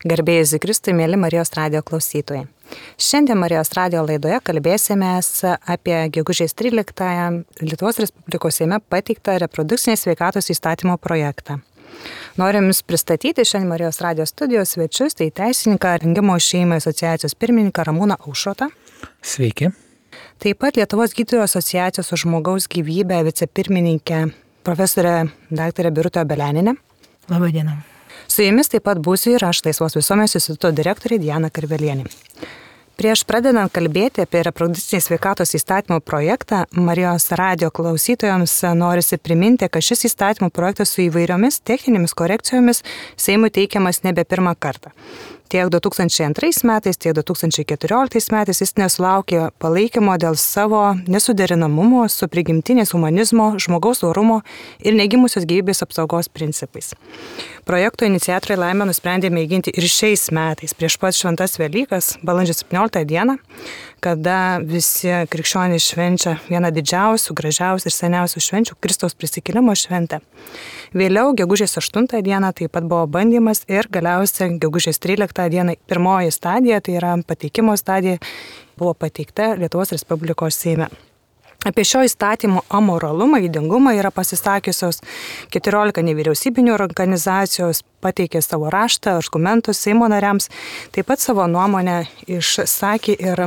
Garbėjai Kristui, mėly Marijos radijo klausytojai. Šiandien Marijos radijo laidoje kalbėsimės apie gegužės 13-ąją Lietuvos Respublikos Seime pateiktą reprodukcinės sveikatos įstatymo projektą. Norim Jums pristatyti šiandien Marijos radijo studijos svečius, tai teisininką Rengimo šeimai asociacijos pirmininką Ramūną Aušrotą. Sveiki. Taip pat Lietuvos gydytojų asociacijos už žmogaus gyvybę vicepirmininkę profesorę dr. Birutę Obeleninę. Labą dieną. Su jumis taip pat būsiu ir aš, Laisvos visuomenės instituto direktorė Diana Karvelienė. Prieš pradedant kalbėti apie reprodukcinės sveikatos įstatymo projektą, Marijos radijo klausytojams norisi priminti, kad šis įstatymo projektas su įvairiomis techninėmis korekcijomis Seimui teikiamas nebe pirmą kartą. Tiek 2002 metais, tiek 2014 metais jis nesulaukė palaikymo dėl savo nesuderinamumo su prigimtinės humanizmo, žmogaus orumo ir negimusios gyvybės apsaugos principais. Projekto iniciatoriai laimę nusprendė mėginti ir šiais metais, prieš pat šventas Velykas, balandžio 17 dieną, kada visi krikščionys švenčia vieną didžiausių, gražiausių ir seniausių švenčių Kristaus prisikėlimo šventę. Vėliau, gegužės 8 dieną taip pat buvo bandymas ir galiausiai gegužės 13 dieną pirmoji stadija, tai yra pateikimo stadija, buvo pateikta Lietuvos Respublikos Seime. Apie šio įstatymo amoralumą, ydingumą yra pasisakiusios 14 nevyriausybinių organizacijos, pateikė savo raštą, argumentus Seimo nariams, taip pat savo nuomonę išsakė ir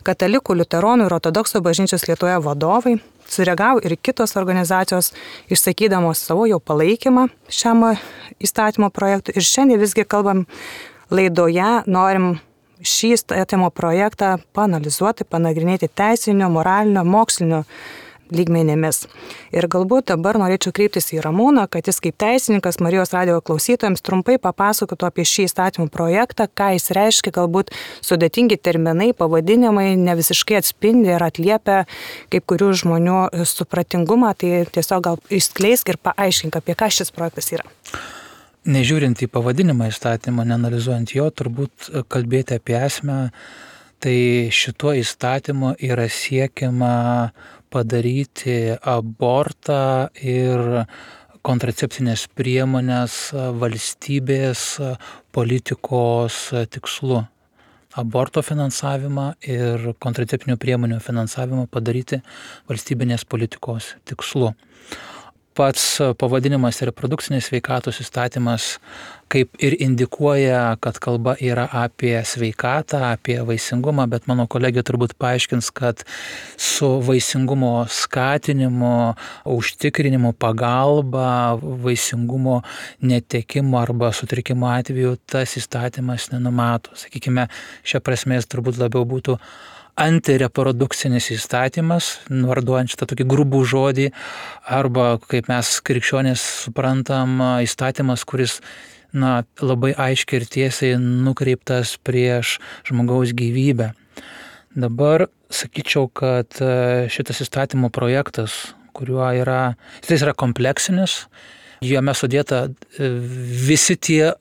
katalikų, liuteronų ir ortodoksų bažnyčios Lietuvoje vadovai. Sureagavo ir kitos organizacijos, išsakydamos savo jau palaikymą šiam įstatymo projektui. Ir šiandien visgi kalbam laidoje, norim šį įstatymo projektą paanalizuoti, panagrinėti teisinio, moralinio, mokslinio lygmenėmis. Ir galbūt dabar norėčiau kreiptis į Ramūną, kad jis kaip teisininkas Marijos radijo klausytojams trumpai papasakotų apie šį įstatymų projektą, ką jis reiškia, galbūt sudėtingi terminai, pavadinimai ne visiškai atspindi ir atliepia kaip kurių žmonių supratingumą, tai tiesiog gal išskleisk ir paaiškink, apie ką šis projektas yra. Nežiūrint į pavadinimą įstatymą, neanalizuojant jo, turbūt kalbėti apie esmę, tai šituo įstatymu yra siekiama padaryti abortą ir kontracepcinės priemonės valstybės politikos tikslu. Aborto finansavimą ir kontraceptinių priemonių finansavimą padaryti valstybinės politikos tikslu. Pats pavadinimas reprodukcinės sveikatos įstatymas kaip ir indikuoja, kad kalba yra apie sveikatą, apie vaisingumą, bet mano kolegė turbūt paaiškins, kad su vaisingumo skatinimu, užtikrinimu, pagalba, vaisingumo netekimo arba sutrikimo atveju tas įstatymas nenumato. Sakykime, šia prasme jis turbūt labiau būtų antireprodukcinis įstatymas, varduojant šitą tokį grubų žodį, arba, kaip mes krikščionys suprantam, įstatymas, kuris labai aiškiai ir tiesiai nukreiptas prieš žmogaus gyvybę. Dabar sakyčiau, kad šitas įstatymo projektas, jis yra kompleksinis, jame sudėta visi tie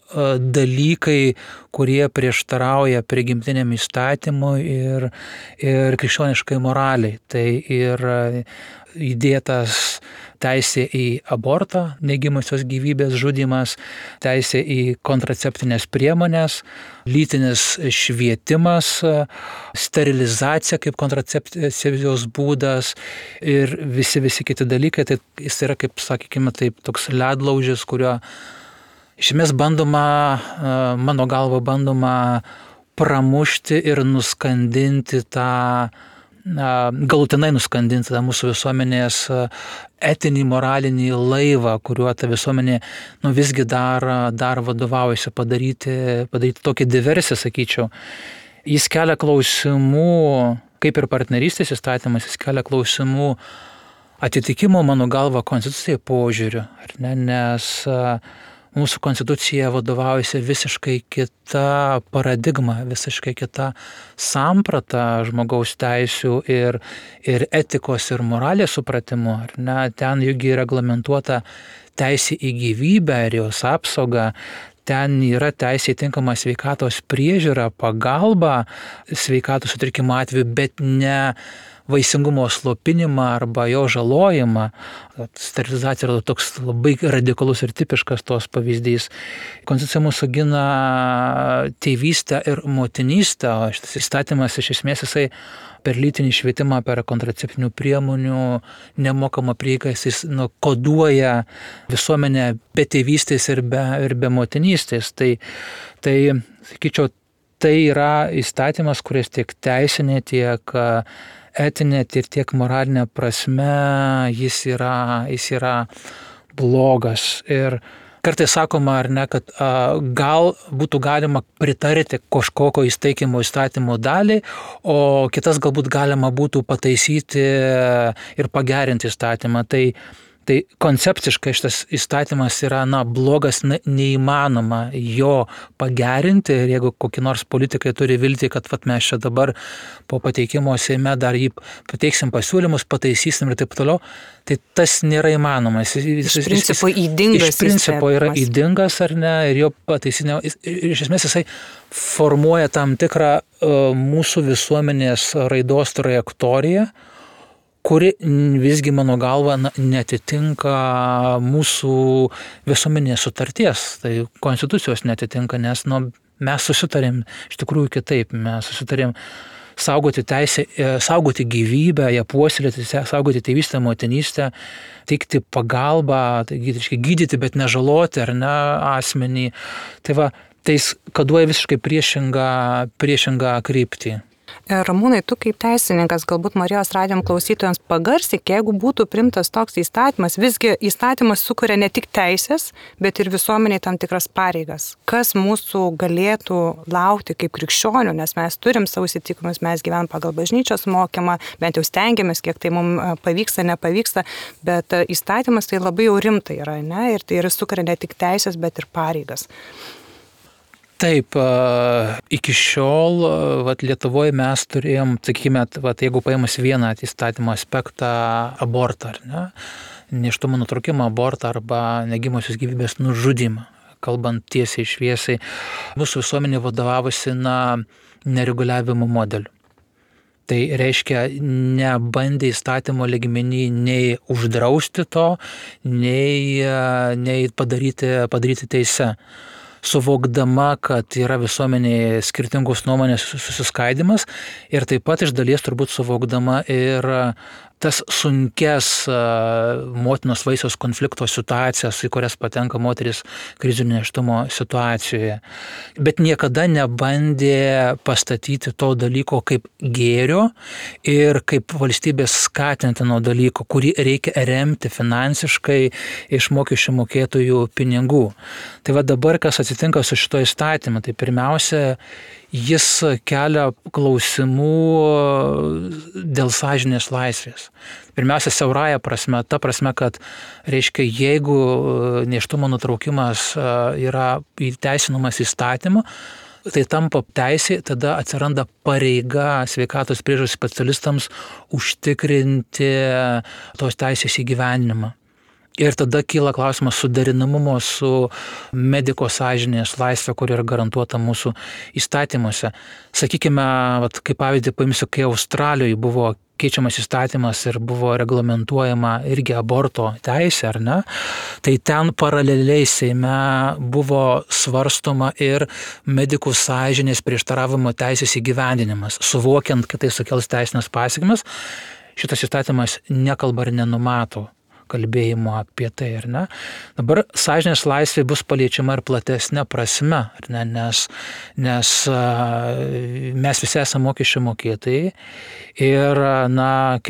dalykai, kurie prieštarauja prigimtiniam įstatymui ir krikščioniškai moraliai. Tai yra įdėtas teisė į abortą, negimusios gyvybės žudymas, teisė į kontraceptinės priemonės, lytinis švietimas, sterilizacija kaip kontracepcijos būdas ir visi kiti dalykai. Tai jis yra, kaip sakykime, taip, toks ledlaužis, kurio iš esmės mano galva bandoma pramušti ir nuskandinti galutinai nuskandinti tą mūsų visuomenės etinį, moralinį laivą, kuriuo ta visuomenė visgi dar vadovaujasi padaryti tokią diversiją, sakyčiau. Jis kelia klausimų, kaip ir partnerystės įstatymas, jis kelia klausimų atitikimo, mano galva, konstitucijai požiūriu, ar ne, nes mūsų konstitucija vadovaujasi visiškai kita paradigma, visiškai kita samprata žmogaus teisių ir etikos ir moralės supratimu. Ar ne? Ten juk reglamentuota teisė į gyvybę ir jos apsaugą. Ten yra teisė į tinkamą sveikatos priežiūrą, pagalbą sveikatos sutrikimo atveju, bet ne vaisingumo slopinimą arba jo žalojimą. Sterilizacija yra toks labai radikalus ir tipiškas tos pavyzdys. Konstitucija mūsų gina tėvystę ir motinystę, o šitas įstatymas iš esmės jisai per lytinį švietimą, per kontraceptinių priemonių nemokamą prieigą, jis koduoja visuomenę be tėvystės ir be motinystės. Tai sakyčiau, tai yra įstatymas, kuris tiek teisinė, tiek etinė ir tiek moralinė prasme jis yra blogas. Ir kartais sakoma, ar ne, kad gal būtų galima pritarti kažkokio įstatymo dalį, o kitas galbūt galima būtų pataisyti ir pagerinti įstatymą. Tai koncepciškai šitas įstatymas yra blogas, neįmanoma jo pagerinti, ir jeigu kokie nors politikai turi viltį, kad mes čia dabar po pateikimo Seime dar jį pateiksim pasiūlymus, pataisysim ir taip toliau, tai tas nėra įmanoma. Iš principo ydingas. Iš principo yra ydingas, ar ne, ir jo pataisinė. Iš esmės jisai formuoja tam tikrą mūsų visuomenės raidos trajektoriją, kuri visgi mano galva netitinka mūsų visuomenės sutarties, tai konstitucijos netitinka, nes mes susitarėm iš tikrųjų kitaip, mes susitarėm saugoti teisę, saugoti gyvybę, ją puoselėti, saugoti tėvystę, motinystę, teikti pagalbą, gydyti, bet nežaloti ar ne asmenį. Tai koduoja visiškai priešingą kryptį. Ramūnai, tu kaip teisininkas, galbūt Marijos radijo klausytojams pagarsyk, jeigu būtų priimtas toks įstatymas, visgi įstatymas sukuria ne tik teisės, bet ir visuomeniai tam tikras pareigas. Kas mūsų galėtų laukti kaip krikščionių, nes mes turim savo įsitikinimus, mes gyvenam pagal bažnyčios mokymą, bent jau stengiamės, kiek tai mums pavyksta, nepavyksta, bet įstatymas tai labai jau rimtai yra, ne? Ir tai sukuria ne tik teisės, bet ir pareigas. Taip, iki šiol Lietuvoje mes turėjom, sakykime, jeigu paėmus vieną įstatymo aspektą, abortą, ar ne, nėštumo nutraukimą, abortą arba negimosios gyvybės nužudymą, kalbant tiesiai šviesiai, mūsų visuomenė vadovavosi nereguliavimo modeliu. Tai reiškia, nebandė įstatymo lygmenį nei uždrausti to, nei padaryti teise. Suvokdama, kad yra visuomenėje skirtingos nuomonės susiskaidimas ir taip pat iš dalies turbūt suvokdama ir tas sunkes motinos vaisiaus konflikto situacijas, į kurias patenka moteris krizinio nėštumo situacijoje. Bet niekada nebandė pastatyti to dalyko kaip gėrio ir kaip valstybės skatintino dalyko, kurį reikia remti finansiškai iš mokesčių mokėtojų pinigų. Tai dabar, kas atsitinka su šito įstatymu, tai pirmiausia, jis kelia klausimų dėl sąžinės laisvės. Pirmiausia, siaurąja prasme, ta prasme, kad reiškia, jeigu nėštumo nutraukimas yra įteisinamas įstatymu, tai tampa teisė, tada atsiranda pareiga sveikatos priežiūros specialistams užtikrinti tos teisės įgyvendinimą. Ir tada kyla klausimas suderinamumo su mediko sąžinės laisvė, kuri yra garantuota mūsų įstatymuose. Sakykime, kaip pavyzdį paimsiu, kai Australijoje buvo keičiamas įstatymas ir buvo reglamentuojama irgi aborto teisė, ar ne, tai ten paraleliai Seime buvo svarstoma ir medikų sąžinės prieštaravimo teisės įgyvendinimas, suvokiant, kad tai sukels teisinės pasekmes. Šitas įstatymas nekalba ir nenumato kalbėjimo apie tai, ar ne? Dabar sąžinės laisvė bus paliečiama ir platesnė prasme, ar ne? Nes mes visi esame mokesčių mokėtojai ir,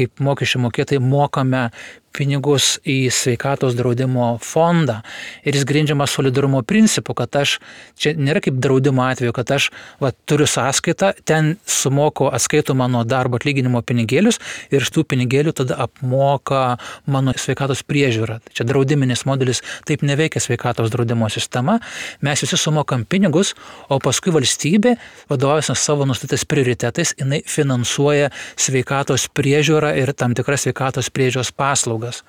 kaip mokesčių mokėtojai mokame pinigus į sveikatos draudimo fondą ir jis grindžiamas solidarumo principu, kad čia nėra kaip draudimo atveju, kad aš turiu sąskaitą, ten sumoku atskaito mano darbo atlyginimo pinigėlius ir iš tų pinigėlių tada apmoka mano sveikatos priežiūrą. Čia draudiminis modelis, taip neveikia sveikatos draudimo sistema, mes visi sumokam pinigus, o paskui valstybė, vadovaujasi savo nustatytais prioritetais, jinai finansuoja sveikatos priežiūrą ir tam tikras sveikatos priežiūros paslaugas. paslaugas.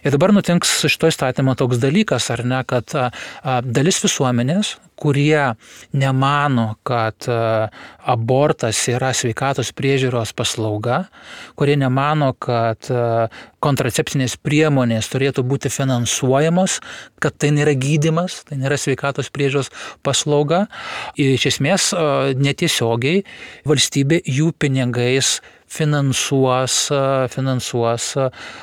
Ir dabar nutinks su šito įstatymo toks dalykas, ar ne, kad dalis visuomenės, kurie nemano, kad abortas yra sveikatos priežiūros paslauga, kurie nemano, kad kontracepcinės priemonės turėtų būti finansuojamos, kad tai nėra gydymas, tai nėra sveikatos priežiūros paslauga. Iš esmės netiesiogiai valstybė jų pinigais finansuos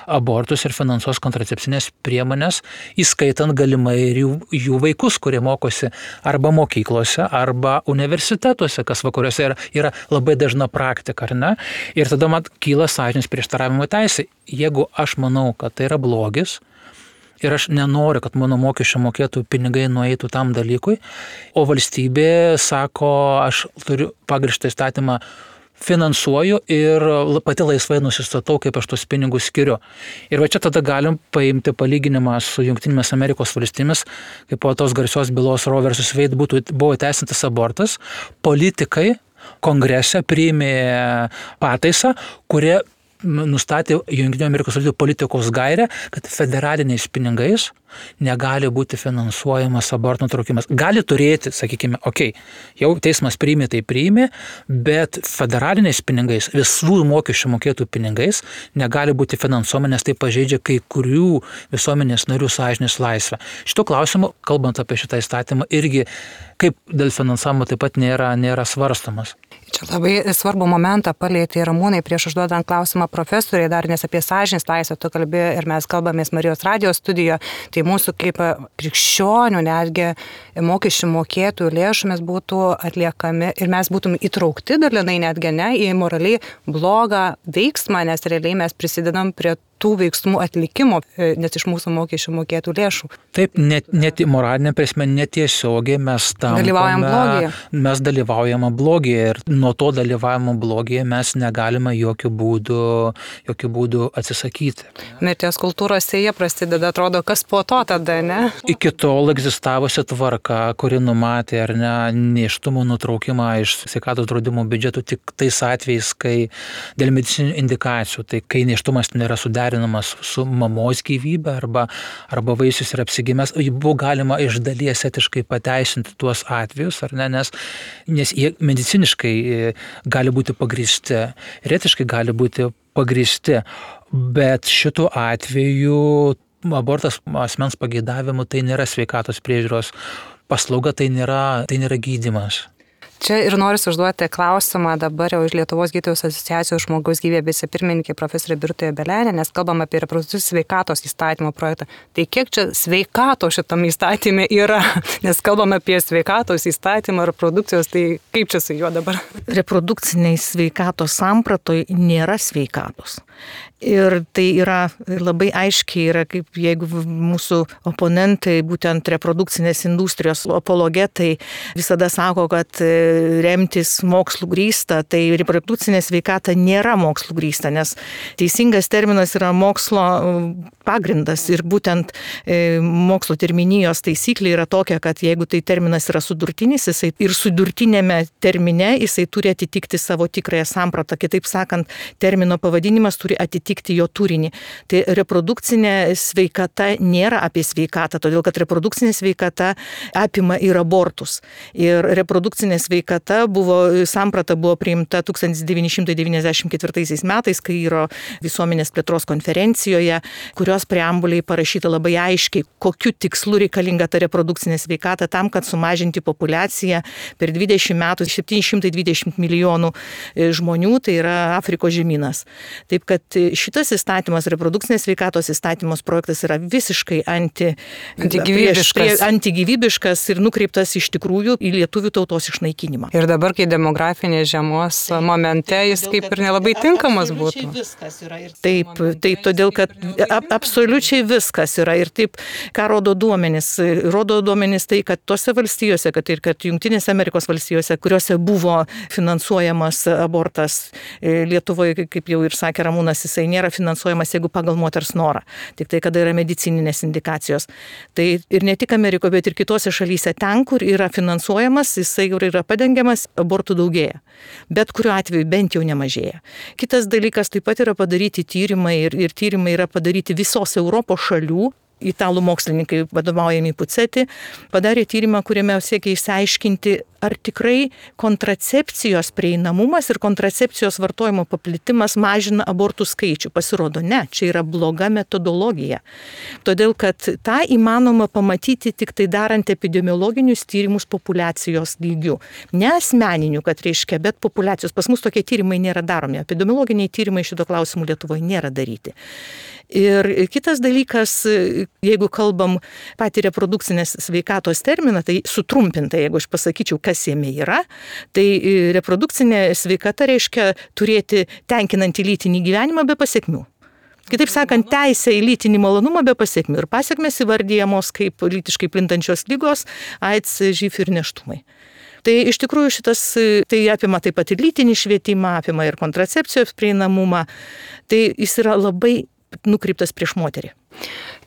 abortus ir finansuos kontracepcinės priemonės, įskaitant galimai ir jų vaikus, kurie mokosi arba mokyklose, arba universitetuose, kas vakaruose yra labai dažna praktika, ar ne? Ir tada man kyla sąžinės prieštaravimo teisė. Jeigu aš manau, kad tai yra blogis, ir aš nenoriu, kad mano mokesčio mokėtų pinigai nueitų tam dalykui, o valstybė sako, aš turiu pagrįstą įstatymą, finansuoju ir pati laisvai nusistatau, kaip aš tos pinigus skiriu. Ir va čia tada galim paimti palyginimą su Jungtinėmis Amerikos valstybėmis, kaip po tos garsios bylos Roe vs. Wade buvo įteisintas abortas, politikai kongrese priėmė pataisą, kurie nustatė Jungtinių Amerikos valstybių politikos gairę, kad federaliniais pinigais negali būti finansuojamas aborto nutraukimas. Gali turėti, sakykime, jau teismas priėmė, tai priėmė, bet federaliniais pinigais, visų mokesčių mokėtų pinigais negali būti finansuojama, nes tai pažeidžia kai kurių visuomenės narių sąžinės laisvę. Šito klausimu, kalbant apie šitą įstatymą, irgi kaip dėl finansavimo taip pat nėra svarstomas. Čia labai svarbų momentą palietė Ramūnai prieš užduodant klausimą profesoriai dar, nes apie sąžinės laisvę tu kalbėjai ir mes kalbamės Marijos radijo studijoje, tai mūsų kaip krikščionių netgi mokesčių mokėtojų lėšomis būtų atliekami ir mes būtum įtraukti dalinai netgi į moraliai blogą veiksmą, nes realiai mes prisidedam prie tų veiksmų atlikimo, nes iš mūsų mokesčių mokėtų lėšų. Taip, net moralinė prasme netiesiogiai mes dalyvaujame blogyje ir nuo to dalyvavimo blogyje mes negalime jokių būdų atsisakyti. Mirties kultūros sėja prasideda, atrodo, kas po to tada, ne? Iki tol egzistavusi tvarka, kuri numatė ar ne nėštumo nutraukimą iš sveikatos draudimo biudžeto tik tais atvejais, kai dėl medicininių indikacijų, tai kai nėštumas nėra suderinamas su mamos gyvybe arba vaisius yra apsigimęs, buvo galima iš dalies etiškai pateisinti tuos atvejus, ar ne, nes jie mediciniškai gali būti pagrįsti, ir etiškai gali būti pagrįsti, bet šitu atveju abortas asmens pageidavimu tai nėra sveikatos priežiūros paslauga, tai nėra gydymas. Čia ir noriu užduoti klausimą dabar jau iš Lietuvos gydytojų asociacijos žmogaus gyvybė vicepirmininkė profesorė Birutė Belienė, nes kalbam apie reprodukcinės sveikatos įstatymo projektą. Tai kiek čia sveikato šitam įstatymė yra? Nes kalbam apie sveikatos įstatymą reprodukcijos, tai kaip čia su juo dabar? Reprodukciniai sveikatos sampratoj nėra sveikatos. Ir tai yra labai aiškiai, yra kaip jeigu mūsų oponentai, būtent reprodukcinės industrijos apologetai visada sako, kad remtis mokslų grįsta, tai reprodukcinė sveikata nėra mokslų grįsta, nes teisingas terminas yra mokslo pagrindas ir būtent mokslo terminijos taisyklė yra tokia, kad jeigu tai terminas yra sudurtinis, jisai ir sudurtinėme termine jisai turi atitikti savo tikrąją sampratą, kitaip sakant, termino pavadinimas turi atitikti jo turinį. Tai reprodukcinė sveikata nėra apie sveikatą, todėl kad reprodukcinė sveikata apima ir abortus. Ir reprodukcinė sveikata samprata buvo priimta 1994 metais, Kairo visuomenės plėtros konferencijoje, kurios preambuliai parašyta labai aiškiai, kokiu tikslu reikalinga ta reprodukcinė sveikata tam, kad sumažinti populiaciją per 20 metų 720 milijonų žmonių, tai yra Afrikos žemynas. Taip kad šitas įstatymas, reprodukcinės sveikatos įstatymos projektas yra visiškai antigyvybiškas ir nukreiptas iš tikrųjų į lietuvių tautos išnaikinimą. Ir dabar, kai demografinės žiemos momente, jis kaip ir nelabai tinkamas būtų. Taip, todėl kad absoliučiai viskas yra. Ir taip, ką rodo duomenys? Rodo duomenys tai, kad tose valstijose, kad Jungtinėse Amerikos valstijose, kuriuose buvo finansuojamas abortas, Lietuvoje, kaip jau ir sakė Ramūnas, jisai nėra finansuojamas, jeigu pagal moters norą. Tik tai, kada yra medicininės indikacijos. Tai ir ne tik Amerikoje, bet ir kitose šalyse ten, kur yra finansuojamas, jisai yra padengiamas, abortų daugėja. Bet kuriuo atveju bent jau nemažėja. Kitas dalykas taip pat yra padaryti tyrimai ir tyrimai yra padaryti visos Europos šalių. Italų mokslininkai vadovaujami Puceti padarė tyrimą, kuriame siekia išsiaiškinti, ar tikrai kontracepcijos prieinamumas ir kontracepcijos vartojimo paplitimas mažina abortų skaičių. Pasirodo, ne, čia yra bloga metodologija. Todėl, kad tą įmanoma pamatyti tik tai darant epidemiologinius tyrimus populiacijos lygių. Ne asmeninių, kad reiškia, bet populiacijos. Pas mus tokie tyrimai nėra daromi. Epidemiologiniai tyrimai šito klausimų Lietuvoje nėra daryti. Ir kitas dalykas, jeigu kalbam patį reprodukcinės sveikatos terminą, tai sutrumpintai, jeigu aš pasakyčiau, kas jame yra, tai reprodukcinė sveikata reiškia turėti tenkinantį lytinį gyvenimą be pasekmių. Kitaip sakant, teisė į lytinį malonumą be pasekmių. Ir pasekmės įvardyjamos kaip lytiškai plintančios ligos, AIDS, živ ir nėštumai. Tai iš tikrųjų tai apima taip pat ir lytinį švietimą, apima ir kontracepcijos prieinamumą. Tai jis yra labai nukreiptas prieš moterį.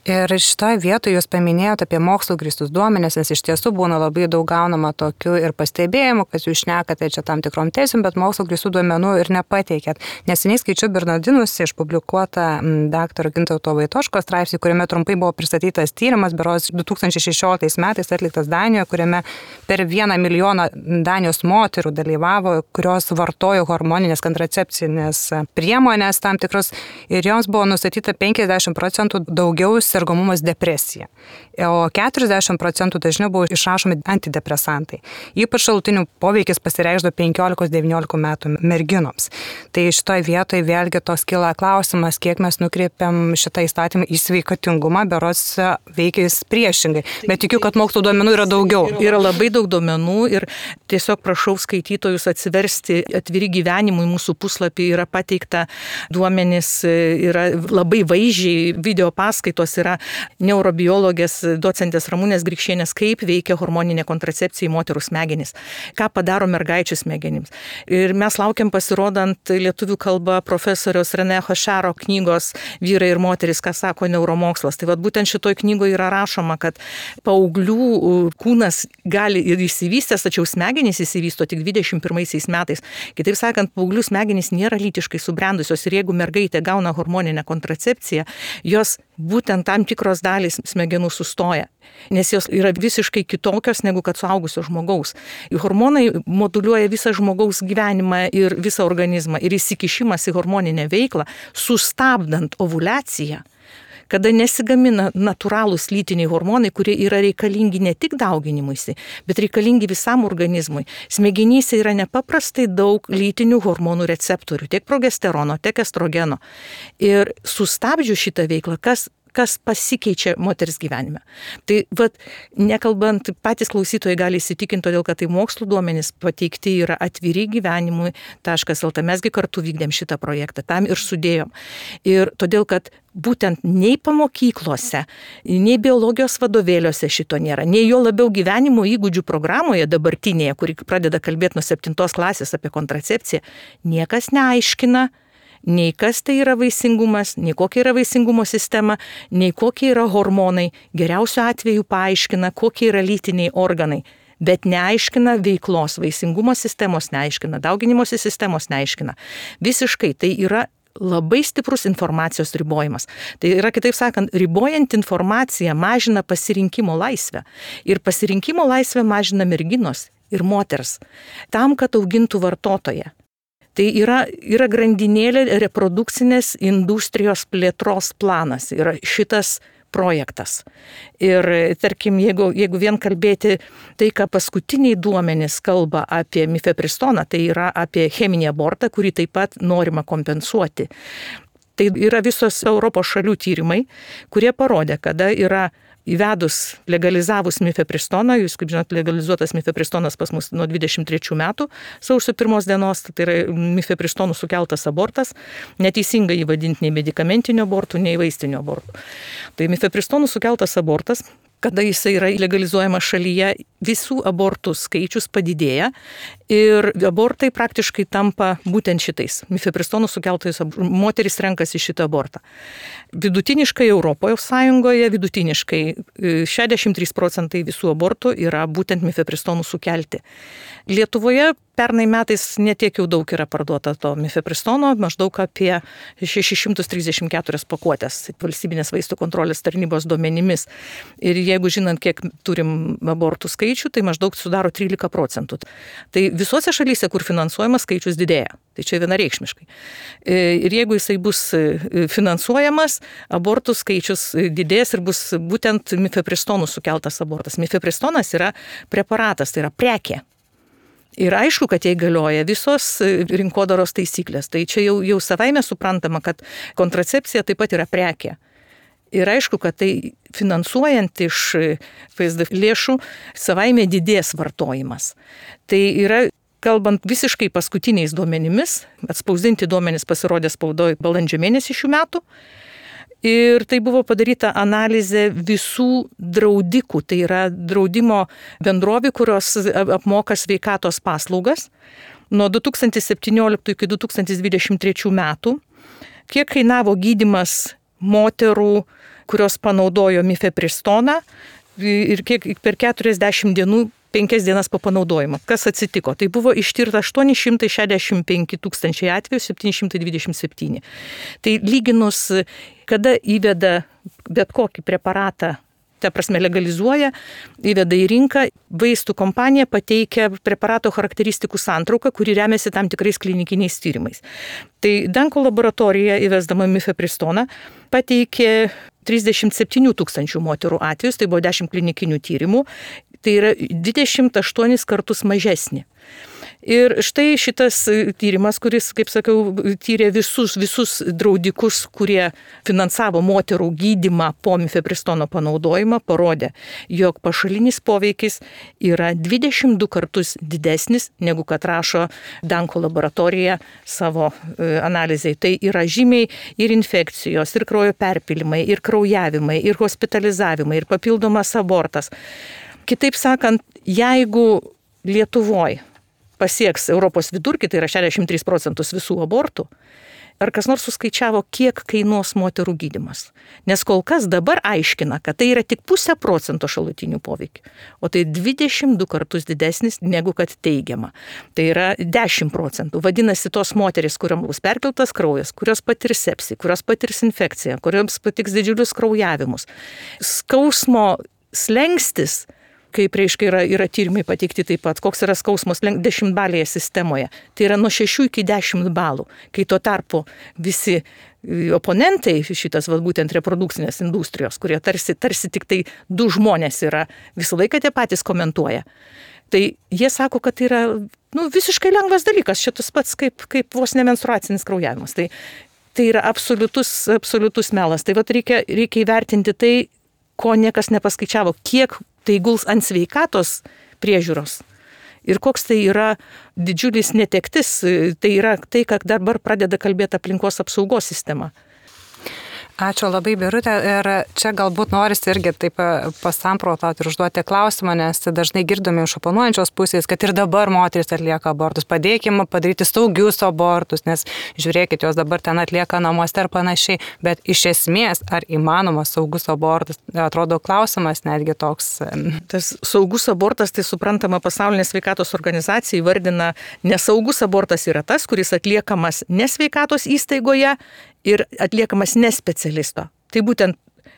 Ir šitoje vietoje jūs paminėjote apie mokslo grįstus duomenis, nes iš tiesų būna labai daug gaunama tokių ir pastebėjimų, kad jūs šnekate čia tam tikrom teisėm, bet mokslo grįstų duomenų ir nepateikėt. Neseniai skaičiau Bernardinus išpublikuotą daktaro Gintauto Vaitoško straipsnį, kuriame trumpai buvo pristatytas tyrimas, berods 2016 metais atliktas Danijoje, kuriame per 1 milijoną Danijos moterų dalyvavo, kurios vartojo hormoninės kontracepcinės priemonės tam tikros ir joms buvo nustatyta 50% daugiau sergamumas depresija, o 40% dažniau buvo išrašomi antidepresantai. Ypač šalutinių poveikis pasireikšdavo 15-19 metų merginoms. Tai šitoje vietoje vėlgi tos kyla klausimas, kiek mes nukreipiam šitą įstatymą į sveikatingumą, berods veikia jis priešingai. Bet tikiu, kad mokslo duomenų yra daugiau. Yra labai daug duomenų ir tiesiog prašau skaitytojus atsiversti Atviri gyvenimui mūsų puslapį, yra pateikta duomenys, yra labai vaizdžiai video paskaitos, yra neurobiologės docentės Ramunės Grikšienės, kaip veikia hormoninė kontracepcija į moterų smegenis, ką padaro mergaičių smegenims. Ir mes laukiam pasirodant lietuvių kalba profesoriaus René Hošaro knygos Vyrai ir moteris, ką sako neuromokslas. Tai vat būtent šitoj knygoje yra rašoma, kad paauglių kūnas gali ir išsivystęs, tačiau smegenys išsivysto tik 21 metais. Kitaip sakant, paauglių smegenys nėra lytiškai subrendusios ir jeigu mergaitė gauna hormoninę kontracepciją, jos būtent tam tikros dalys smegenų sustoja, nes jos yra visiškai kitokios negu kad suaugusio žmogaus. Hormonai moduliuoja visą žmogaus gyvenimą ir visą organizmą ir įsikišimas į hormoninę veiklą, sustabdant ovuliaciją, kada nesigamina natūralūs lytiniai hormonai, kurie yra reikalingi ne tik dauginimuisi, bet reikalingi visam organizmui. Smegenyse yra nepaprastai daug lytinių hormonų receptorių, tiek progesterono, tiek estrogeno. Ir sustabdžius šitą veiklą, kas pasikeičia moters gyvenime. Tai nekalbant, patys klausytojai gali įsitikinti, todėl kad tai mokslo duomenys pateikti yra atvirigyvenimui.lt. Mesgi kartu vykdėm šitą projektą, tam ir sudėjom. Ir todėl, kad būtent nei pamokyklose, nei biologijos vadovėliuose šito nėra, nei jo labiau gyvenimo įgūdžių programoje dabartinėje, kuri pradeda kalbėti nuo 7 klasės apie kontracepciją, niekas neaiškina, nei kas tai yra vaisingumas, nei kokia yra vaisingumo sistema, nei kokie yra hormonai. Geriausiu atveju paaiškina, kokie yra lytiniai organai, bet neaiškina veiklos, vaisingumo sistemos neaiškina, dauginimosi sistemos neaiškina. Visiškai tai yra labai stiprus informacijos ribojimas. Tai yra, kitaip sakant, ribojant informaciją mažina pasirinkimo laisvę. Ir pasirinkimo laisvę mažina merginos ir moters, tam, kad augintų vartotoją. Tai yra grandinėlė reprodukcinės industrijos plėtros planas, yra šitas projektas. Ir tarkim, jeigu vien kalbėti tai, ką paskutiniai duomenys kalba apie mifepristoną, tai yra apie cheminį abortą, kurį taip pat norima kompensuoti. Tai yra visos Europos šalių tyrimai, kurie parodė, kada yra įvedus, legalizavus mifepristoną, jūs kaip žinot, legalizuotas mifepristonas pas mus nuo 23 metų, sausio 1 dienos, tai yra mifepristonų sukeltas abortas, neteisingai įvadinti nei medikamentinio abortų, nei vaistinio abortų. Tai mifepristonų sukeltas abortas kada jisai yra legalizuojamas šalyje, visų abortų skaičius padidėja ir abortai praktiškai tampa būtent šitais. Mifepristonų sukeltais moteris renkasi šitą abortą. Vidutiniškai Europos Sąjungoje, 63% visų abortų yra būtent mifepristonų sukelti. Lietuvoje pernai metais netiek jau daug yra parduota to mifepristono, maždaug apie 634 pakuotės valstybinės vaistų kontrolės tarnybos duomenimis. Ir jeigu žinant, kiek turim abortų skaičių, tai maždaug sudaro 13%. Tai visose šalyse, kur finansuojamas, skaičius didėja. Tai čia vienareikšmiškai. Ir jeigu jisai bus finansuojamas, abortų skaičius didės ir bus būtent mifepristonų sukeltas abortas. Mifepristonas yra preparatas, tai yra prekė. Ir aišku, kad jai galioja visos rinkodaros taisyklės. Tai čia jau savaime suprantama, kad kontracepcija taip pat yra prekė. Ir aišku, kad tai finansuojant iš PSD lėšų savaime didės vartojimas. Tai yra, kalbant visiškai paskutiniais duomenimis, atspausdinti duomenys pasirodė spaudoje balandžio mėnesį šių metų. Ir tai buvo padaryta analizė visų draudikų, tai yra draudimo bendrovių, kurios apmoka sveikatos paslaugas nuo 2017 iki 2023 metų, kiek kainavo gydymas moterų, kurios panaudojo mifepristoną ir kiek per 40 dienų 5 dienas po panaudojimo. Kas atsitiko? Tai buvo ištirta 865 tūkstančiai atvejų, 727. Tai lyginus, kada įveda bet kokį preparatą, ta prasme legalizuoja, įveda į rinką, vaistų kompanija pateikia preparato charakteristikų santrauką, kuri remiasi tam tikrais klinikiniais tyrimais. Tai Danko laboratorija įvesdama mifepristoną pateikė 37 tūkstančių moterų atvejus, tai buvo 10 klinikinių tyrimų, tai yra 28 kartus mažesnė. Ir štai šitas tyrimas, kuris, kaip sakiau, tyrė visus draudikus, kurie finansavo moterų gydymą po mifepristono panaudojimą, parodė, jog pašalinis poveikis yra 22 kartus didesnis, negu kad rašo Danko laboratorija savo analizai. Tai yra žymiai ir infekcijos, ir kraujo perpilimai, ir kraujavimai, ir hospitalizavimai, ir papildomas abortas. Kitaip sakant, jeigu Lietuvoje pasieks Europos vidurkį, tai yra 63% visų abortų, ar kas nors suskaičiavo, kiek kainuos moterų gydymas? Nes kol kas dabar aiškina, kad tai yra tik 0,5% šalutinių poveikių, o tai 22 kartus didesnis negu kad teigiama. Tai yra 10%. Vadinasi, tos moteris, kuriam bus perpiltas kraujas, kurios patirs sepsį, kurios patirs infekciją, kuriams patiks didžiulius kraujavimus. Skausmo slengstis, kaip reiškia yra tyrimai pateikti taip pat, koks yra skausmos 10-balėje sistemoje. Tai yra nuo 6 iki 10 balų, kai tuo tarpu visi oponentai šitas būtent reprodukcinės industrijos, kurie tarsi tik tai du žmonės yra, visą laiką tie patys komentuoja. Tai jie sako, kad tai yra visiškai lengvas dalykas, šitas pats kaip vos nemenstruacinis kraujavimas. Tai yra absoliutus melas. Tai reikia įvertinti tai, ko niekas nepaskaičiavo, kiek tai guls ant sveikatos priežiūros ir koks tai yra didžiulis netektis, tai yra tai, kad dabar pradeda kalbėti aplinkos apsaugos sistema. Ačiū labai, Birutė. Ir čia galbūt norisi irgi taip pasamprotauti ir užduoti klausimą, nes dažnai girdome iš oponuojančios pusės, kad ir dabar moteris atlieka abortus. Padėkime padaryti saugius abortus, nes žiūrėkit, jos dabar ten atlieka namuose ir panašiai. Bet iš esmės, ar įmanomas saugus abortas, atrodo klausimas netgi toks. Tas saugus abortas, tai suprantama, Pasaulinė sveikatos organizacija įvardina, nesaugus abortas yra tas, kuris atliekamas nesveikatos įstaigoje ir atliekamas nespecialisto. Tai būtent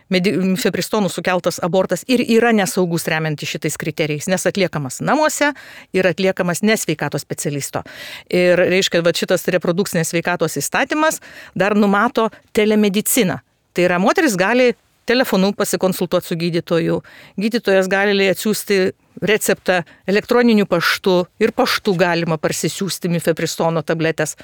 mifepristonų sukeltas abortas ir yra nesaugus remiantis šitais kriterijais, nes atliekamas namuose ir atliekamas nesveikatos specialisto. Ir reiškia, šitas reprodukcinės sveikatos įstatymas dar numato telemediciną. Tai yra, moteris gali telefonu pasikonsultuoti su gydytoju, gydytojas gali atsiųsti receptą elektroniniu paštu ir paštu galima parsisiųsti mifepristono tabletės.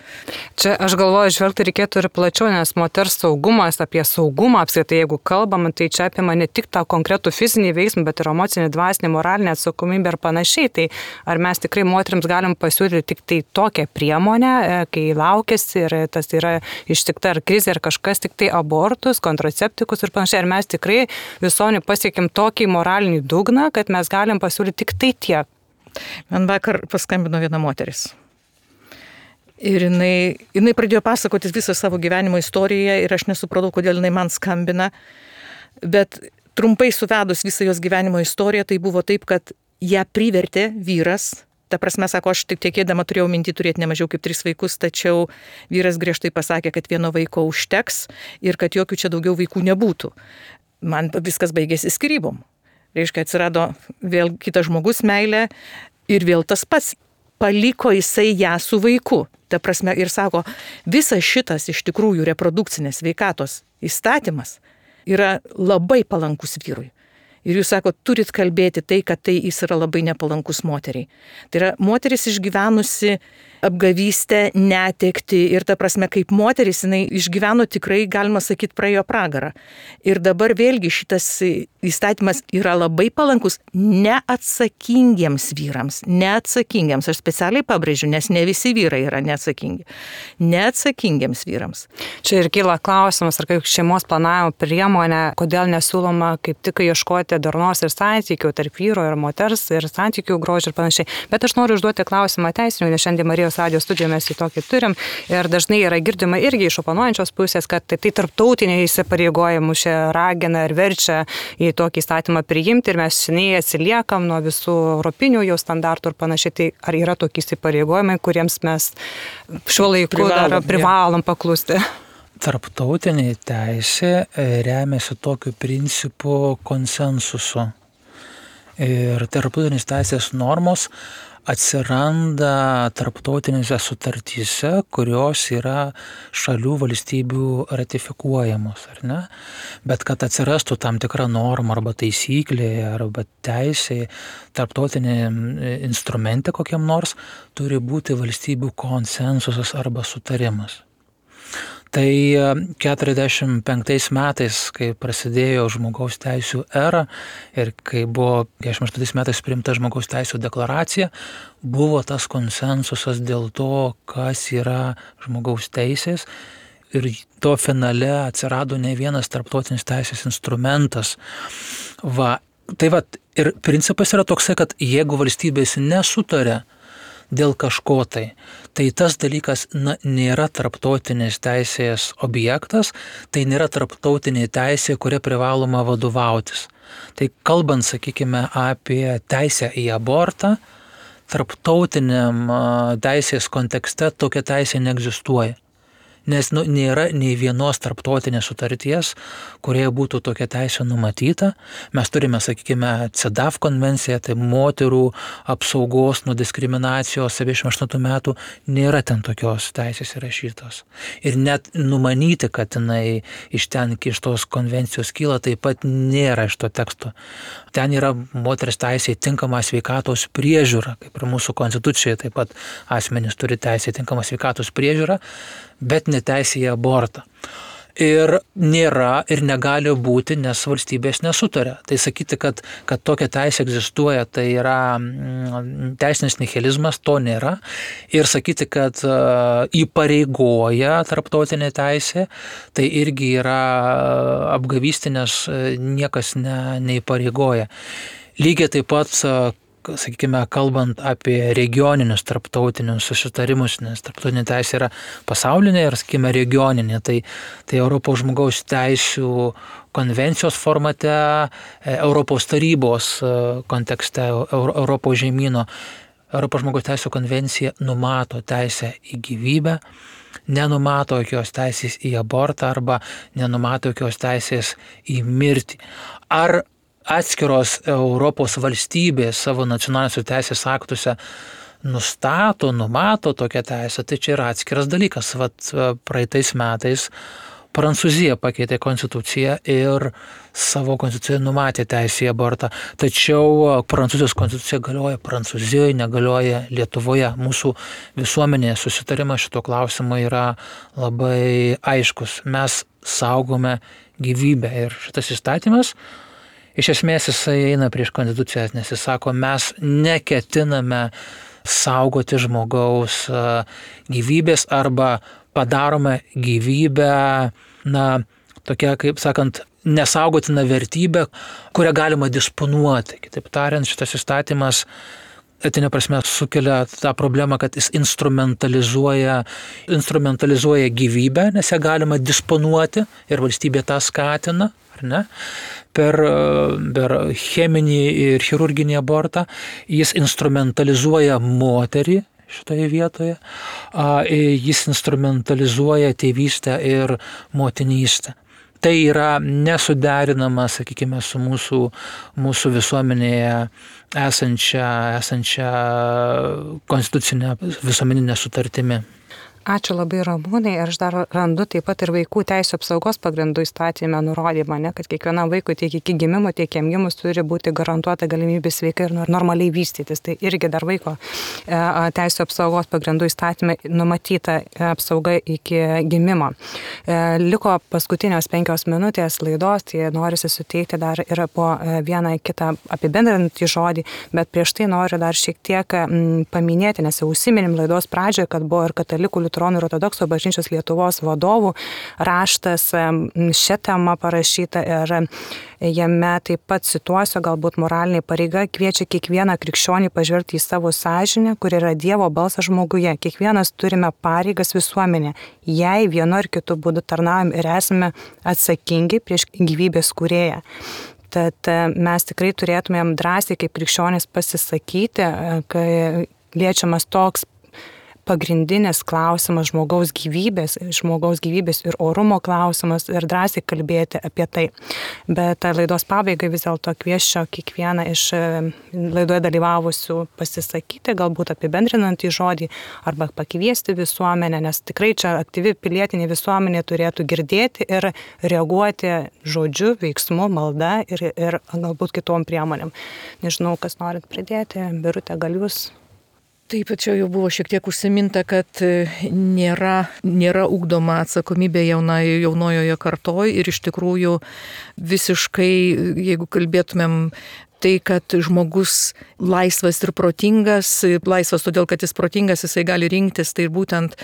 Čia aš galvoju, žvelgti reikėtų ir plačiau, nes moters saugumas, apie saugumą apskritai, jeigu kalbam, tai čia apima ne tik tą konkretų fizinį veiksmą, bet ir emocinį, dvasinį, moralinę atsakomybę ir panašiai. Tai ar mes tikrai moteriams galim pasiūlyti tik tai tokią priemonę, kai laukėsi ir tas yra ištikta ar krizė ar kažkas, tik tai abortus, kontraceptikus ir panašiai. Ar mes tikrai visuomenė pasiekėm tokį moralinį dugną, kad mes galim pasiūlyti tik tai tiek. Man vakar paskambino viena moteris. Ir jinai pradėjo pasakoti visą savo gyvenimo istoriją ir aš nesupratau, kodėl jinai man skambina. Bet trumpai suvedus visą jos gyvenimo istoriją, tai buvo taip, kad ją privertė vyras. Ta prasme, sako, aš tik tekėdama turėjau mintį turėti ne mažiau kaip 3 vaikus, tačiau vyras griežtai pasakė, kad vieno vaiko užteks ir kad jokių čia daugiau vaikų nebūtų. Man viskas baigėsi skyrybom. Reiškia, atsirado vėl kitas žmogus meilė ir vėl tas pats. Paliko jisai ją su vaiku. Ta prasme, ir sako, visas šitas iš tikrųjų reprodukcinės sveikatos įstatymas yra labai palankus vyrui. Ir jūs sako, turit kalbėti tai, kad tai jis yra labai nepalankus moteriai. Tai yra moteris išgyvenusi apgavystę, netekti ir ta prasme, kaip moteris, jinai išgyveno tikrai, galima sakyti, praėjo pragarą. Ir dabar vėlgi šitas įstatymas yra labai palankus neatsakingiems vyrams. Neatsakingiems, aš specialiai pabrėžiu, nes ne visi vyrai yra neatsakingi. Neatsakingiems vyrams. Čia ir kyla klausimas, ar kaip šeimos planavimo priemonė, kodėl nesiūloma kaip tik ieškoti darnos ir santykių tarp vyro ir moters ir santykių grožio ir panašiai. Bet aš noriu užduoti klausimą teisinių, nes šiandien Marijos radio studijoje mes į tokį turim ir dažnai yra girdima irgi iš oponuojančios pusės, kad tai tarptautiniai įsipareigojimų čia ragina ir verčia į tokį įstatymą priimti ir mes seniai atsiliekam nuo visų europinių jau standartų ir panašiai. Tai ar yra tokie įsipareigojimai, kuriems mes šiuo laiku privalom paklusti? Tarptautinė teisė remiasi tokiu principu konsensusu. Ir tarptautinės teisės normos atsiranda tarptautinėse sutartyse, kurios yra šalių valstybių ratifikuojamos, ar ne? Bet kad atsirastų tam tikra norma arba taisyklė arba teisė, tarptautinė instrumente kokiam nors, turi būti valstybių konsensusas arba sutarimas. Tai 45 metais, kai prasidėjo žmogaus teisų era ir kai buvo 48 metais priimta žmogaus teisų deklaracija, buvo tas konsensusas dėl to, kas yra žmogaus teisės ir to finale atsirado ne vienas tarptautinis teisės instrumentas. Ir principas yra toksai, kad jeigu valstybės nesutaria dėl kažko tai tas dalykas nėra tarptautinės teisės objektas, tai nėra tarptautinė teisė, kuria privaloma vadovautis. Tai kalbant, sakykime, apie teisę į abortą, tarptautiniam teisės kontekste tokia teisė neegzistuoja. Nes nėra nei vienos tarptautinės sutarties, kurioje būtų tokia teisė numatyta. Mes turime, sakykime, CEDAW konvenciją, tai moterų apsaugos nuo diskriminacijos 78 metų, nėra ten tokios teisės įrašytos. Ir net numanyti, kad jinai iš tos konvencijos kyla, taip pat nėra iš to teksto. Ten yra moters teisė į tinkamą sveikatos priežiūrą, kaip ir mūsų konstitucijoje taip pat asmenys turi teisę į tinkamą sveikatos priežiūrą, bet neteisė į abortą. Ir nėra ir negali būti, nes valstybės nesutaria. Tai sakyti, kad tokia teisė egzistuoja, tai yra teisinis nihilizmas, to nėra. Ir sakyti, kad įpareigoja tarptautinė teisė, tai irgi yra apgavystė, nes niekas neįpareigoja. Lygiai taip pat, sakykime, kalbant apie regioninius tarptautinius susitarimus, nes tarptautinė teisė yra pasaulinė ir, sakykime, regioninė, tai Europos žmogaus teisių konvencijos formate, Europos tarybos kontekste, Europos žemyno, Europos žmogaus teisių konvencija numato teisę į gyvybę, nenumato jokios teisės į abortą arba nenumato jokios teisės į mirtį. Ar atskiros Europos valstybės savo nacionaliniuose teisės aktuose numato tokią teisę, tai čia yra atskiras dalykas. Praeitais metais Prancūzija pakeitė konstituciją ir savo konstitucijoje numatė teisę į abortą. Tačiau Prancūzijos konstitucija galioja Prancūzijoje, negalioja Lietuvoje. Mūsų visuomenėje susitarimas šito klausimo yra labai aiškus. Mes saugome gyvybę ir šitas įstatymas iš esmės jisai eina prieš konstituciją, nes jis sako, mes neketiname saugoti žmogaus gyvybės arba padarome gyvybę, tokia, kaip sakant, nesaugotina vertybė, kurią galima disponuoti. Kitaip tariant, šitas įstatymas etinė prasme sukelia tą problemą, kad jis instrumentalizuoja gyvybę, nes ją galima disponuoti ir valstybė tą skatina, ar ne? Per cheminį ir chirurginį abortą jis instrumentalizuoja moterį šitoje vietoje, jis instrumentalizuoja tėvystę ir motinystę. Tai yra nesuderinama, sakykime, su mūsų visuomenėje esančia konstitucinė visuomeninė sutartimi. Ačiū labai, Ramūnai. Aš dar randu taip pat ir vaikų teisų apsaugos pagrindų įstatyme nurodymą, kad kiekvienam vaikui tiek iki gimimo, tiek jam gimus turi būti garantuota galimybė sveikai ir normaliai vystytis. Tai irgi dar vaiko teisų apsaugos pagrindų įstatyme numatyta apsauga iki gimimo. Liko paskutinios 5 minutės laidos, tai norisi suteikti dar ir po vieną kitą apibendrinantį žodį, bet prieš tai noriu dar šiek tiek paminėti, nes jau užsiminėm laidos pradžioje, kad buvo ir katalikų, liuteronų ir ortodoksų bažnyčios Lietuvos vadovų raštas šią temą parašyta ir jame taip pat cituosiu, galbūt moralinė pareiga kviečia kiekvieną krikščionį pažvelgti į savo sąžinę, kur yra Dievo balsas žmoguje. Kiekvienas turime pareigas visuomenė, jei vienu ar kitu būdu tarnaujam ir esame atsakingi prieš gyvybės kūrėją. Tad mes tikrai turėtumėm drąsiai kaip krikščionys pasisakyti, kai liečiamas toks pagrindinis klausimas žmogaus gyvybės ir orumo klausimas ir drąsiai kalbėti apie tai. Bet laidos pabaigai vis dėlto kviesčiau kiekvieną iš laidoje dalyvavusių pasisakyti, galbūt apibendrinantį žodį arba pakviesti visuomenę, nes tikrai čia aktyvi pilietinė visuomenė turėtų girdėti ir reaguoti žodžiu, veiksmu, malda ir galbūt kitom priemonėm. Nežinau, kas norit pridėti, Birute, gal jūs? Taip, čia jau buvo šiek tiek užsiminta, kad nėra ugdoma atsakomybė jaunojoje kartoje ir iš tikrųjų visiškai, jeigu kalbėtumėm tai, kad žmogus laisvas ir protingas, laisvas todėl, kad jis protingas, jisai gali rinktis, tai būtent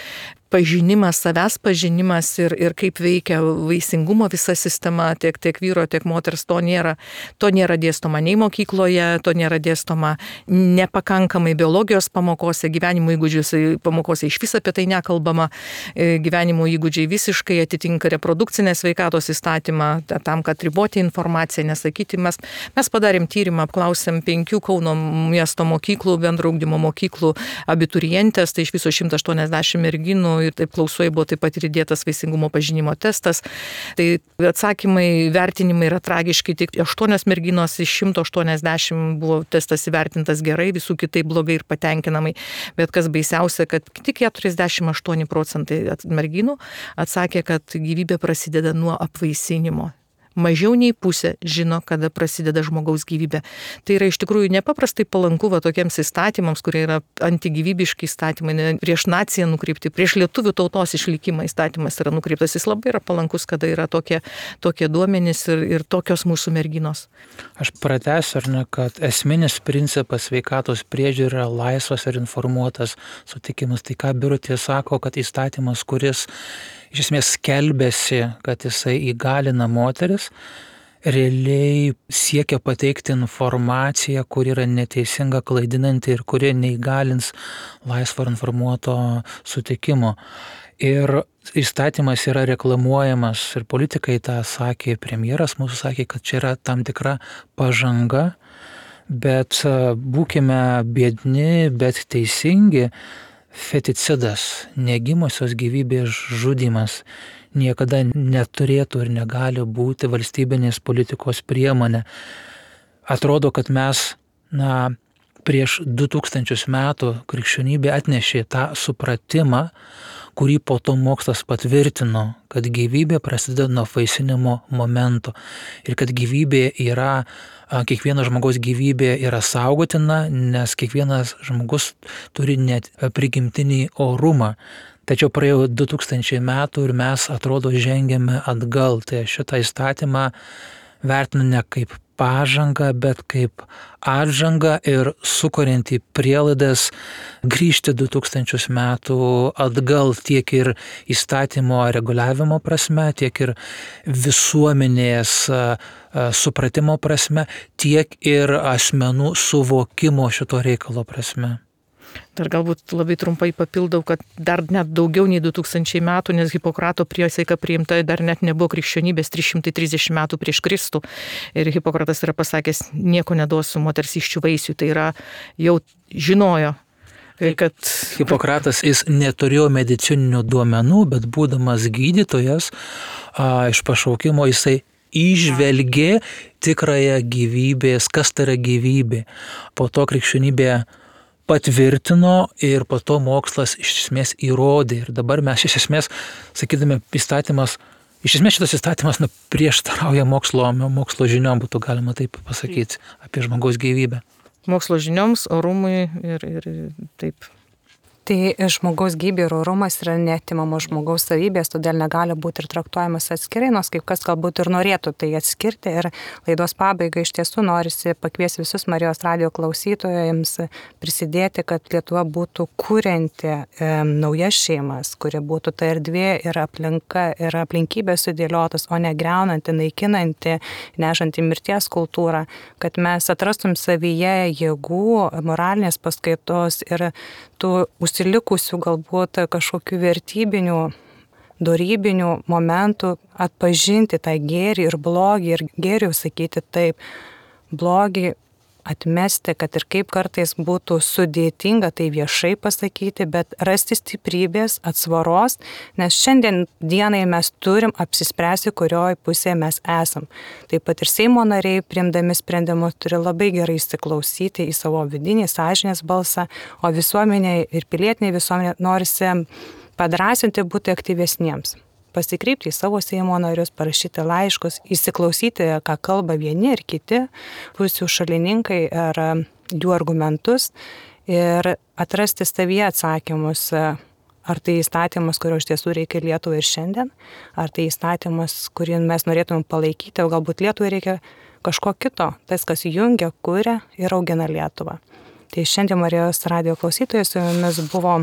pažinimas, savęs pažinimas ir kaip veikia vaisingumo visa sistema, tiek vyro, tiek moters, to nėra dėstoma nei mokykloje, to nėra dėstoma nepakankamai biologijos pamokose, gyvenimo įgūdžių pamokose iš viso apie tai nekalbama, gyvenimo įgūdžiai visiškai atitinka reprodukcinės sveikatos įstatymą, tam, kad riboti informaciją, nesakyti. Mes padarėm tyrimą, apklausėm 5 Kauno miesto mokyklų, bendro ugdymo mokyklų abiturientės, tai iš viso 180 merginų ir taip klausoje buvo taip pat ir įdėtas vaisingumo pažinimo testas. Tai atsakymai, vertinimai yra tragiški, tik 8 merginos iš 180 buvo testas įvertintas gerai, visų kitaip blogai ir patenkinamai. Bet kas baisiausia, kad tik 48% merginų atsakė, kad gyvybė prasideda nuo apvaisinimo. Mažiau nei pusė žino, kada prasideda žmogaus gyvybė. Tai yra iš tikrųjų nepaprastai palanku tokiems įstatymams, kurie yra antigyvybiški įstatymai, prieš naciją nukreipti, prieš lietuvių tautos išlikimą įstatymas yra nukreiptas. Jis labai yra palankus, kada yra tokie duomenys ir tokios mūsų merginos. Aš pratęsiu, kad esminis principas sveikatos priežiūra yra laisvas ir informuotas sutikimas. Tai ką Birutė sako, kad įstatymas, kuris iš esmės skelbėsi, kad jisai įgalina moteris, realiai siekia pateikti informaciją, kuri yra neteisinga, klaidinanti ir kuri neįgalins laisvo ir informuoto sutikimo. Ir įstatymas yra reklamuojamas ir politikai tą sakė, premjeras mūsų sakė, kad čia yra tam tikra pažanga, bet būkime biedni, bet teisingi. Feticidas, negimusios gyvybės žudymas niekada neturėtų ir negali būti valstybinės politikos priemonė. Atrodo, kad mes prieš 2000 metų krikščionybė atnešė tą supratimą, kurį po to mokslas patvirtino, kad gyvybė prasideda nuo apvaisinimo momento ir kad gyvybė yra, kiekvieno žmogaus gyvybė yra saugotina, nes kiekvienas žmogus turi net prigimtinį orumą. Tačiau praėjo 2000 metų ir mes atrodo žengėme atgal. Tai šitą įstatymą vertinu ne kaip pažangą, bet kaip atžangą ir sukuriantį prielaidas grįžti 2000 metų atgal tiek ir įstatymo reguliavimo prasme, tiek ir visuomenės supratimo prasme, tiek ir asmenų suvokimo šito reikalo prasme. Dar galbūt labai trumpai papildau, kad dar net daugiau nei 2000 metų, nes Hipokrato priesaika priimta dar net nebuvo krikščionybės 330 metų prieš Kristų. Ir Hipokratas yra pasakęs, nieko neduosiu moters iščių vaisių. Tai yra jau žinojo, kad... Hipokratas jis neturėjo medicininių duomenų, bet būdamas gydytojas iš pašaukimo jisai įžvelgė tikrąją gyvybės, kas tai yra gyvybė. Po to krikščionybė patvirtino ir po to mokslas iš esmės įrodė. Ir dabar mes iš esmės, sakydami, įstatymas, iš esmės šitas įstatymas prieštarauja mokslo žiniom, būtų galima taip pasakyti, apie žmogaus gyvybę. Mokslo žinioms, orumui ir taip. Tai žmogaus gyvybė ir orumas yra neatimamos žmogaus savybės, todėl negali būti ir traktuojamas atskirai, nors kaip kas galbūt ir norėtų tai atskirti. Ir laidos pabaigai iš tiesų norisi pakviesti visus Marijos radijo klausytojams prisidėti, kad Lietuva būtų kurianti naujas šeimas, kuri būtų ta erdvė ir aplinka ir aplinkybės sudėliotas, o ne greunanti, naikinanti, nešanti mirties kultūrą, kad mes atrastum savyje jėgų, moralinės paskaitos ir tų užsilikusių galbūt kažkokių vertybinių, dorybinių momentų atpažinti tą gėrį ir blogį ir gėrį sakyti taip, blogį atmesti, kad ir kaip kartais būtų sudėtinga tai viešai pasakyti, bet rasti stiprybės, atsvaros, nes šiandien dienai mes turim apsispręsti, kurioje pusėje mes esam. Taip pat ir Seimo nariai, priimdami sprendimus, turi labai gerai įsiklausyti į savo vidinį sąžinės balsą, o visuomenė ir pilietiniai visuomenė norisi padrąsinti būti aktyvesniems. Pasikreipti į savo Seimo narius, parašyti laiškus, įsiklausyti, ką kalba vieni ir kiti pusių šalininkai ar jų argumentus ir atrasti savyje atsakymus, ar tai įstatymas, kurio iš tiesų reikia Lietuvai ir šiandien, ar tai įstatymas, kurį mes norėtume palaikyti, o galbūt Lietuvai reikia kažko kito, tas, kas jungia, kuria ir augina Lietuvą. Tai šiandien Marijos radijo klausytojas su jumis buvo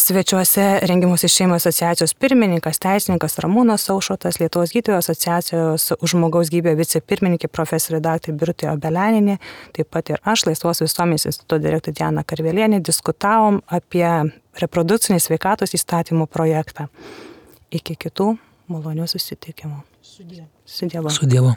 svečiuose Rengimosi šeimai asociacijos pirmininkas, teisininkas Ramūnas Aušrotas, Lietuvos gydytojų asociacijos už žmogaus gyvybę vicepirmininkė profesorė daktarė Birutė Obeleninė, taip pat ir aš, Laisvos visuomenės instituto direktorė Diana Karvelienė, diskutavom apie reprodukcinės sveikatos įstatymų projektą. Iki kitų malonių susitikimų. Su Dievu. Su Dievu.